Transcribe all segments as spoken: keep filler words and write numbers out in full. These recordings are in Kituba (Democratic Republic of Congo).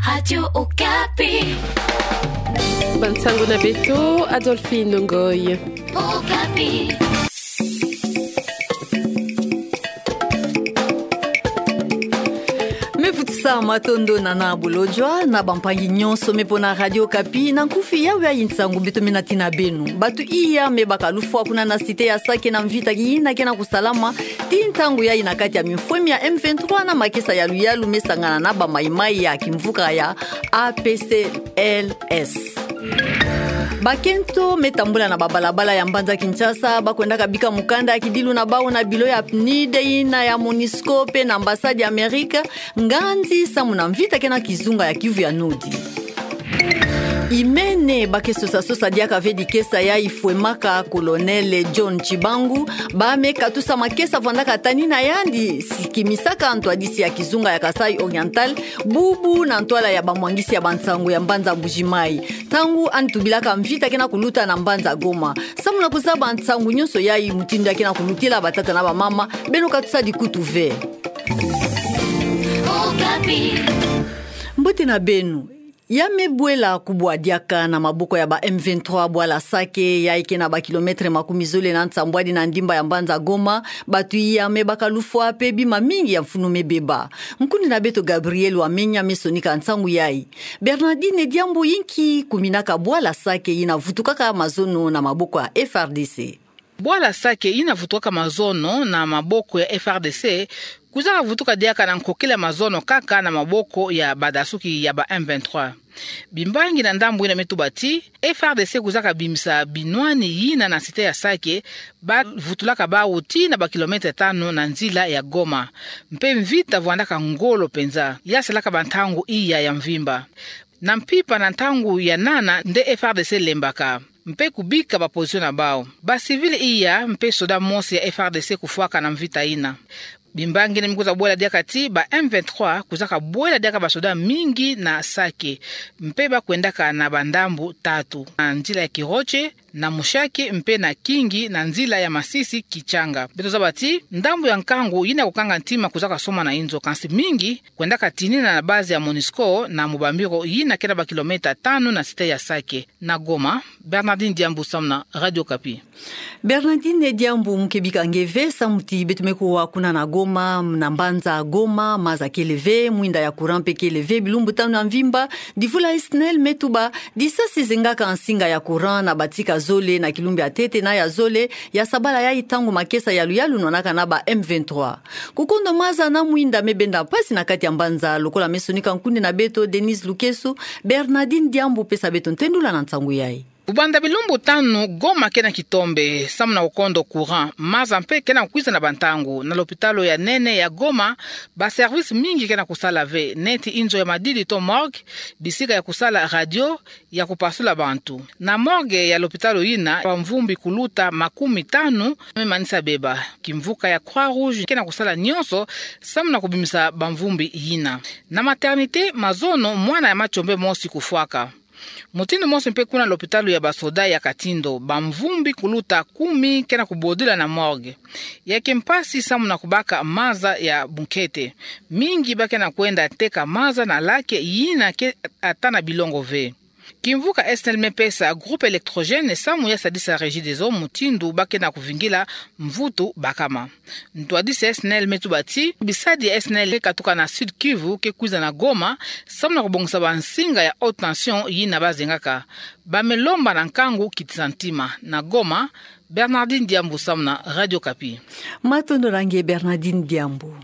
Radio Okapi. Bansango na beto, Adolphine Ngoy. Okapi. Me vutisa matondo na nabolojo na bampangi nyonso me pona Radio Okapi na nkufi yawe ya nsangu beto mena tina beno. Bato iya me baka lufwa kuna na cité ya Sake na mvita yina ke na kusalama ti ntangu yayi na kati ya mimfwemi ya M vingt-trois na makesa ya luyalu me sangana na bamaimai ya kimvuka ya A P C L S. Bakento me tambula na babalabala ya mbanza Kinshasa, bakwendaka bika mukanda ya kidilu na bawu na bilo ya PNUD yina ya MONUSCO pe na ambassade ya Amerika, nganzi samu na mvita ke na kizunga ya Kivu ya Nord. Imene ba ke sosa sosa diaka ve dikesa yayi fwemaka Colonel John Tshibangu, ba me katusa makesa vandaka tani na yandi sikimisaka ntwadisi ya kizunga ya Kasaï Oriental, bubu na ntwala ya bamwangisi ya bansangu ya mbanza Mbuji-Mayi, ntangu yandi tubilaka mvita ke na kuluta na mbanza Goma. Samu na kuzaba nsangu nyonso yayi mutindu ya ke na kulutila, batata na bamama, beno katusa dikutu ve. Okapi. Mbote na beno. Ya me bwela kubwa diaka na maboko ya ba M vingt-trois bwala Sake, yayi ke na ba kilomètre makumi zole na nsambwadi na ndimba ya mbanza Goma, bato iya me baka lufwa pe bima mingi ya mfunu me beba. Nkundi na beto Gabriel Wamenya me sonika nsangu yayi. Bernardine Diambu, inki kuminaka bwala Sake yina vutukaka mazono na maboko ya F R D C? Bwala Sake yina vutukaka mazono na maboko ya F R D C, kwizaka vutuka diaka na nkokila mazono kaka na maboko ya badasuki ya ba M vingt-trois. Bimbangi na ndambu yina me tuba ti, F R D C kwizaka bimisa binwani yina na cité ya Sake, ba vutulaka bawu tii na ba kilomètre tanu na nzila ya Goma. Mpe mvita vwandaka ngolo penza, ya salaka bantangu iya ya mvimba. Na mpimpa na ntangu ya nana nde F R D C lembaka mpe kubika ba position na bawu. Ba civil iya mpe soda mosi ya F R D C kufwaka na mvita yina. Bimbangi yina me kwiza bwela diaka ti ba M vingt-trois kwizaka bwela diaka basoda mingi na Sake, mpe bakwendaka na bandambu tatu, na nzila ya Kiroche, na Mushaki mpe na Kingi na nzila ya Masisi-Kitshanga. Beto zaba ti ndambu ya nkangu yina kukanga ntima kwizaka soma na inzo, kansi mingi kwendaka tinina na base ya MONUSCO na mubambiro yina ke na ba kilomètre tanu na cité ya Sake. Na Goma, Bernardine Diambu samu na Radio Okapi. Bernardine Diambu, mu ke bika nge ve samu ti beto me kuwa kuna na Goma, na mbanza Goma, maza kele ve, mwinda ya courant mpe kele ve bilumbu tanu ya mvimba. Divula SNEL me tuba, disasi zengaka nsinga ya courant na batika zole na kilumbu ya ntete na ya zole ya sabala yayi, ntangu makesa ya luyalu nwanaka na ba M vingt-trois. Kukondo maza na mwinda me benda mpasi na kati ya mbanza, lokola me sonika nkundi na beto Denise Lukeso. Bernardine Diambu, pesa beto ntendula na nsangu yayi. Kubanda bilumbu tanu, Goma ke na kitombe samu na kukondo courant, maza mpe ke na kukwiza na bantangu. Na lopitalo ya nene ya Goma, ba service mingi ke na kusala ve, neti inzo ya madidi to morgue, bisika ya kusala radio, ya kupasula bantu. Na morgue ya lopitalo yina, bamvumbi kuluta makumi tanu me manisa beba. Kimvuka ya Croix-Rouge ke na kusala nyonso samu na kubimisa bamvumbi yina. Na maternité, mazono mwana ya matiombe mosi kufwaka. Mutindu mosi mpe kuna lopitalo ya basoda ya Katindo, bamvumbi kuluta kumi ke na kubodila na morgue. Ya ke mpasi samu na kubaka maza ya bunkete. Mingi ba ke na kwenda teka maza na lac yina ke ata na bilongo ve. Kimvuka SNEL me pesa groupe électrogène samu ya sadisa Regideso mutindu ba ke na kuvingila mvutu bakama. Ntwadisi ya SNEL me tuba ti bisadi ya SNEL katuka na Sud-Kivu ke kwiza na Goma samu na kubongisa bansinga ya haute tension yina ba zengaka. Ba me lomba na nkangu kitisa ntima. Na Goma, Bernardine Diambu samu na Radio Okapi. Matondo na nge, Bernardine Diambu.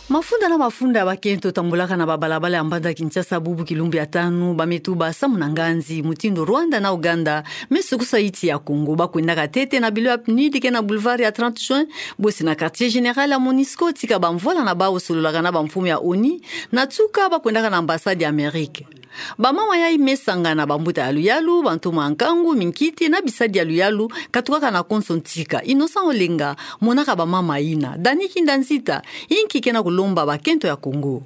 Mafunda na mafunda ya bakento tambulaka na babalabala ya mbanza Kinshasa bubu kilumbu ya tanu, ba me tuba samu na nganzi, mutindu Rwanda na Ouganda me sukusa insi ya Congo. Ba kwendaka ntete na bilo ya PNUD ke na boulevard ya trente juin, bosi na quartier général ya MONUSCO, tika bamvwala na bawu sololaka na bamfumu ya ONU, na nsuka ba kwendaka na ambassade ya Amérique. Bamama yayi me sangana bambuta ya luyalu, bantoma ya nkangu, minkiti na bisadi ya luyalu, katukaka na konso ntika. Innocent Olenga, monaka bamama yina. Dany Kinda Nzita, inki ke na kulomba bakento ya Congo?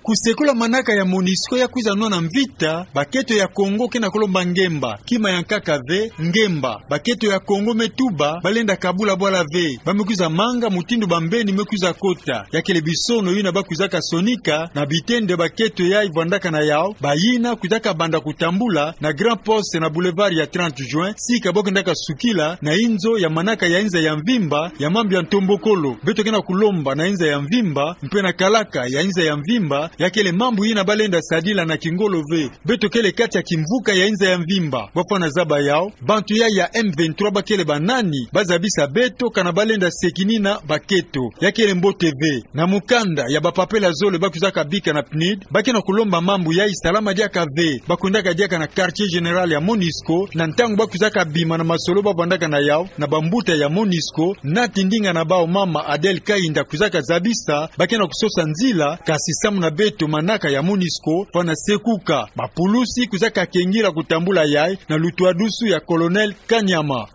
Kusekula manaka ya MONUSCO ya kwiza nwana mvita, bakento ya Kongo ke na kulomba ngemba, kima ya nkaka ve, ngemba. Bakento ya Kongo me tuba, balenda kabula bwala ve, ba me kwiza manga mutindu bambeni me kwiza kota. Ya kele bisono yina ba kwizaka sonika, na bitende bakento yayi vwandaka na yawu, bayina kwizaka banda kutambula, na Grand Poste na Boulevard ya trente Juin, sika bo kendaka sukila, na inzo ya manaka ya inza ya mvimba, ya mambu ya ntombokolo. Beto ke na kulomba na inza ya mvimba, mpe na kalaka ya inza ya mvimba, ya kele mambu yina balenda sadila na kingolo ve. Beto kele kati ya kimvuka ya inza ya mvimba. Bwa fwana zaba yawu, bantu ya, ya M vingt-trois ba kele banani, ba zabisa beto, kana balenda sekinina bakento. Ya kele mbote ve. Na mukanda ya bapapela zole ba kwizaka bika na PNUD, ba ke na kulomba mambu yayi salama diaka ve. Ba kwendaka diaka na quartier général ya MONUSCO, na ntangu ba kwizaka bima na masolo ba vwandaka na yawu, na bambuta ya MONUSCO, nati ndinga na bawu mama Adèle Kahinda kwizaka zabisa, ba ke na kusosa nzila, kasi samu na beto manaka ya MONUSCO, fwana sekuka. Bapulusi kwizaka kengila kutambula yayi, na lutwadusu ya Colonel Kanyama.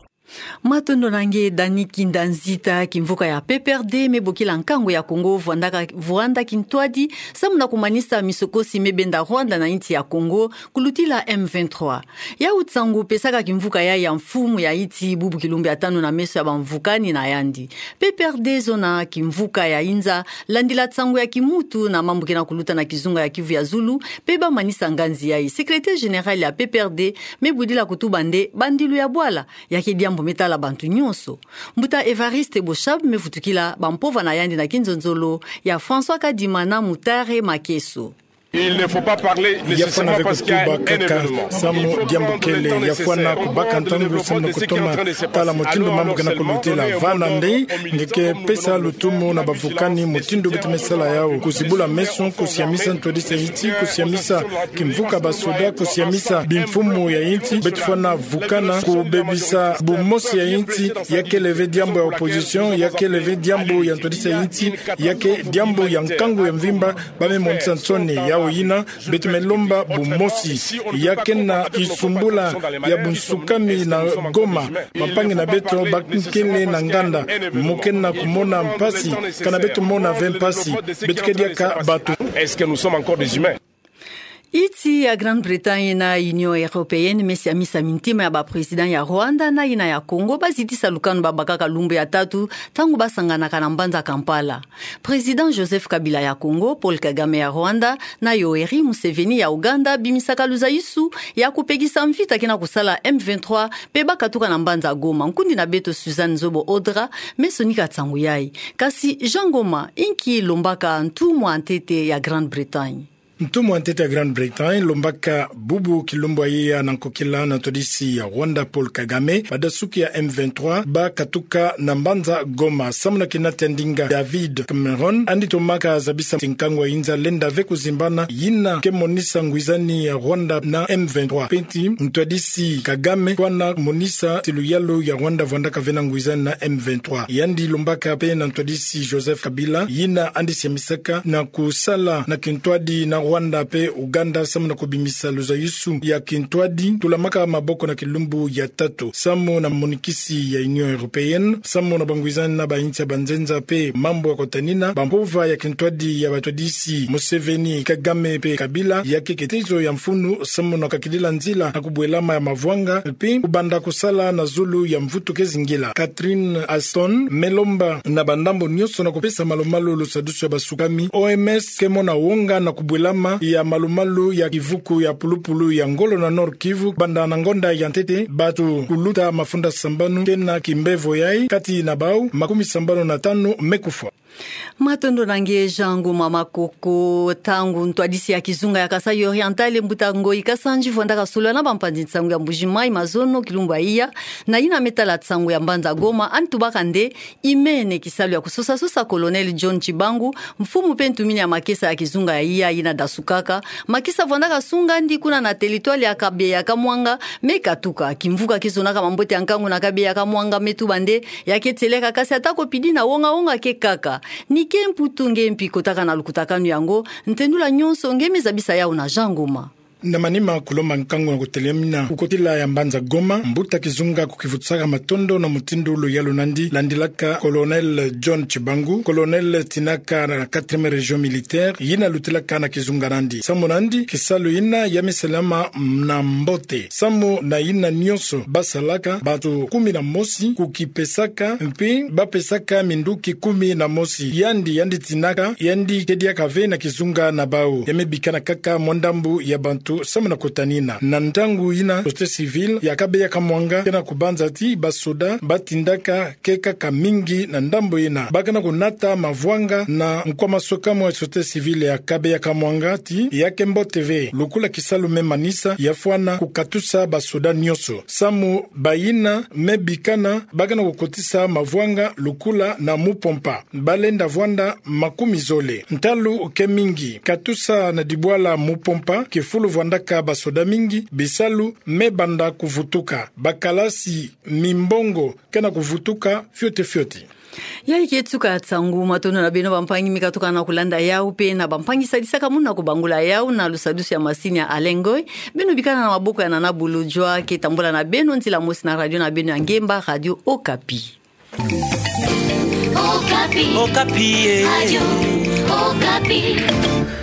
Matondo na nge Dani Kinda Nzita. Kimvuka ya P P R D me bokila nkangu ya Kongo vwandaka, vwanda kintwadi, samu na kumanisa misokosi me benda Rwanda na insi ya Kongo, kulutila M vingt-trois. Yawu nsangu pesaka kimvuka yayi ya mfumu ya insi bubu kilumbu ya tanu na meso ya bamvukani na yandi. P P R D zona kimvuka ya inza, landila nsangu ya kimuntu na mambu ke na kuluta na kizunga ya Kivu ya Zulu, mpe ba manisa nganzi yayi. Secrétaire général ya P P R D me budila kutuba nde bandilu ya bwala, ya ke diambu me tala bantu nyonso. Mbuta Évariste Boshab me vutukila bampova na yandi na kinzonzolo ya François Kadima na Mutare Makeso. Il ne faut pas parler nécessairement parce qu'il y a un événement. Il faut pas parler. Ya fwana ve kutuba kaka samu diambu kele, ya fwana kubaka ntangu samu na kutoma tala mutindu mambu ke na kulutila. Vana nde, nge ke pesa lutumu na bavukani mutindu beto me sala yawu. Kuzibula meso, kusiamisa ntwadisi ya insi, kusiamisa kimvuka basoda, kusiamisa bimfumu ya insi, beto fwana vukana, kubebisa bumosi ya insi, ya kele ve diambu ya opposition, ya kele ve diambu ya ntwadisi ya insi, ya ke diambu ya nkangu ya mvimba, ba me monisa nsoni. Yawu yina, beto me lomba bumosi. Ya ke na kisumbula ya bunsukami na Goma, bampangi na beto ba kele na nganda, mu ke na kumona mpasi, kana beto mona ve mpasi, beto ke diaka bato. Est-ce que nous sommes encore des humains? Insi ya Grande-Bretagne na Union Européenne me siamisa mintima ya ba président ya Rwanda na yina ya Congo ba zitisa lukanu ba bakaka lumbu ya tatu, ntangu ba sanganaka na mbanza Kampala. Président Joseph Kabila ya Congo, Paul Kagame ya Rwanda, na Yoweri Museveni ya Ouganda bimisaka luzaisu ya kupekisa mvita ke na kusala M vingt-trois, mpe ba katuka na mbanza Goma. Nkundi na beto Suzanne Nzobo Odra me sonika nsangu yayi. Kasi Jean Ngoma, inki lombaka ntumwa ntete ya Grande-Bretagne? Ntumwa ntete ya Grande-Bretagne lombaka bubu kilumbu ya iya na nkokila na ntwadisi ya Rwanda Paul Kagame, badasuki ya M vingt-trois ba katuka na mbanza Goma, samu na kinati ya ndinga David Cameron, andi tomaka zabisa ti nkangu ya inza lenda ve kuzimbana, yina ke monisa ngwizani ya Rwanda na M vingt-trois. Mpe ti ntwadisi Kagame fwana monisa ti luyalu ya Rwanda vwandaka ve na ngwizani na M vingt-trois. Yandi lombaka mpe na ntwadisi Joseph Kabila, yina andi siamisaka na kusala na kintwadi na Rwanda mpe Ouganda samu na kubimisa luzaisu ya kintwadi, tulamaka maboko na kilumbu ya tatu. Samu na monikisi ya Union Européenne, samu na bangwizani na bainsi ya banzenza mpe mambu ya kotanina, bampova ya kintwadi ya batwadisi Museveni, Kagame mpe Kabila, ya ke kitezo ya mfunu, samu na kakidila nzila na kubwelama ya mavwanga, mpe kubanda kusala na zulu ya mvutu ke zingila. Catherine Ashton me lomba na bandambu nyonso na kupesa malumalu lusadusu ya basukami. O M S ke mona wonga na kubwelama ya malumalu ya kivuku ya pulupulu ya ngolo na Nord-Kivu, banda na ngonda ya ntete, bato kuluta mafunda sambanu ke na kimbevo yayi, kati na bawu makumi sambanu na tanu me kufwa. Matondo na nge Jean Ngoma Makoko. Ntangu ntwadisi ya kizunga ya Kasaï Oriental, mbuta Ngoyi Kasanji, vwandaka solola na bampanzi nsangu ya Mbuji-Mayi mazono kilumbu ya iya, na yina me tala nsangu ya mbanza Goma, andi tubaka nde imene kisalu ya kusosasosa Colonel John Tshibangu, mfumu mpe ntumini ya makesa ya kizunga ya iya yina dasukaka. Makesa vwandaka sunga andi kuna na territoire ya Kabeya-Kamwanga me katuka. Kimvuka kizonaka mambote ya nkangu na Kabeya-Kamwanga me tuba nde ya ke tieleka, kasi ata ko pidi na wonga-wonga ke kaka. Ni ke Mputu nge mpi kotaka na lukutakanu yango, ntendula nyonso nge me zabisa yawu na Jean Ngoma. Na manima kulomba nkangu na kutelemina ku kotila ya mbanza Goma, mbuta kizunga kukivutusaka matondo na mutindu luyalu nandi, landilaka Colonel John Tshibangu, colonel tinaka na quatrième région militaire, yina lutilaka na kizunga nandi. Samu nandi, kisalu yina ya misalama na mbote. Samu na yina nyonso basalaka, bantu kumi na mosi kukipesaka, mpe bapesaka minduki kumi na mosi. Yandi, yandi tinaka, yandi kediaka ve na kizunga na bau. Ya me bikana kaka mwa ndambu ya bantu samu na kota nina. Na ntangu yina, société civile ya Kabeya Kamwanga kena kubanza ti basoda batindaka ke kaka mingi na ndambu yina. Bakana kunata mavwanga na nkwa masoka mwa société civile ya Kabeya Kamwanga ti ya ke mbote ve. Lukula kisalu me manisa ya fwana kukatusa basoda nyonso. Samu bayina me bikana bakana kukotisa mavwanga lukula na mupompa. Balenda vwanda makumi zole. Ntalu ke mingi. Katusa na dibwala mupompa, kifulu vwandaka basoda mingi, bisalu me banda kuvutuka. Bakalasi, mimbongo, kena kuvutuka fioti fioti. Ya ike tuka nsangu. Matondo na beno bampangi mi katuka na kulanda yau, mpe na bampangi sadisaka muna kubangula yau na lusadusu ya masini ya Alain Ngoy. Beno bikana na maboko ya Nana Bulujwa, ke tambula na beno nzila mosi na radio na beno ya ngemba, Radio Okapi. Okapi. Okapi, eh. Radio Okapi.